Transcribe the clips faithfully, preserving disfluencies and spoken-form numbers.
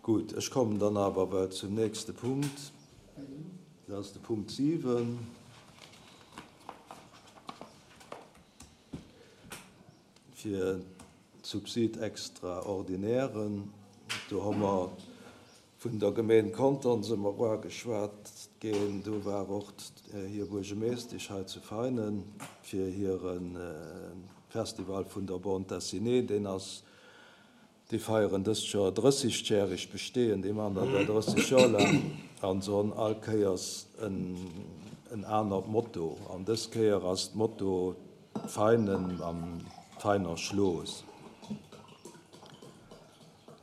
Gutt, ech kommen dann awer well zum nächste Punkt. Dat ass de Punkt siwen. Fir d'Subside extraordinairen. Do hu mer vun der Gemeen Contern si mer uageschwat ginn. Do war och hir Buergermeeschtesch hei zu Veinen fir hire Festival vun der Bande dessinée. Deen ass, déi feieren dëst Joer drëssegjäreg Bestehen, déi maachen dat elo drësseg Joer laang an se hunn all Kéiers en, en anert Motto. An dës Kéier ass d'Motto Veinen am Veiner Schloss.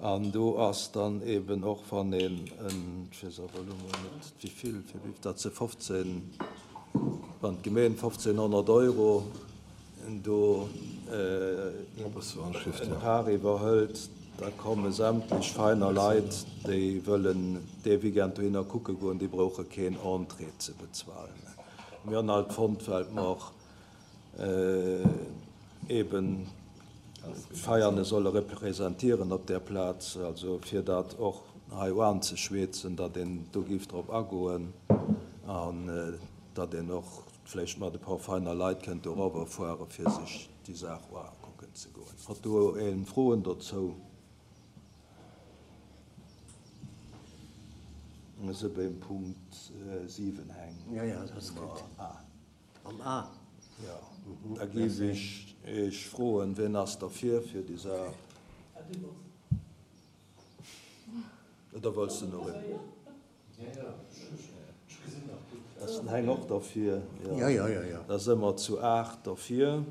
An do ass dann eben och, wann een en, ech weess awer elo mol net wéi vill, fir wéi, dat si fofzéng, wann d'Gemeen fofzénghonnert Euro do en Part iwwerhëlt, da komme sämtlech Veiner Leit, déi wëllen dee Weekend dohinner kucke goen, déi brauche keen Entrée ze bezuelen. Mir hunn halt fonnt, well mer eben Veiane solle representieren op där Plaz, also fir dat och hei anzeschwätzen, datt een do géif drop agoen an datt een och vläicht mat e paar Veiner Leit kënnt doriwwer fuere fir sech déi Saach ukucken ze goen. Hat do een Froen dozou? Mir si beim Punkt siwen hängen. Ja, ja, dat ass gutt. Am A. Jo, da géif ech Iech froen, wien ass derfir fir déi Saach? Oder wëlls de nach een? Ass den Heng och derfir? Jo, jo, jo, jo. Da si mer zu aacht derfir.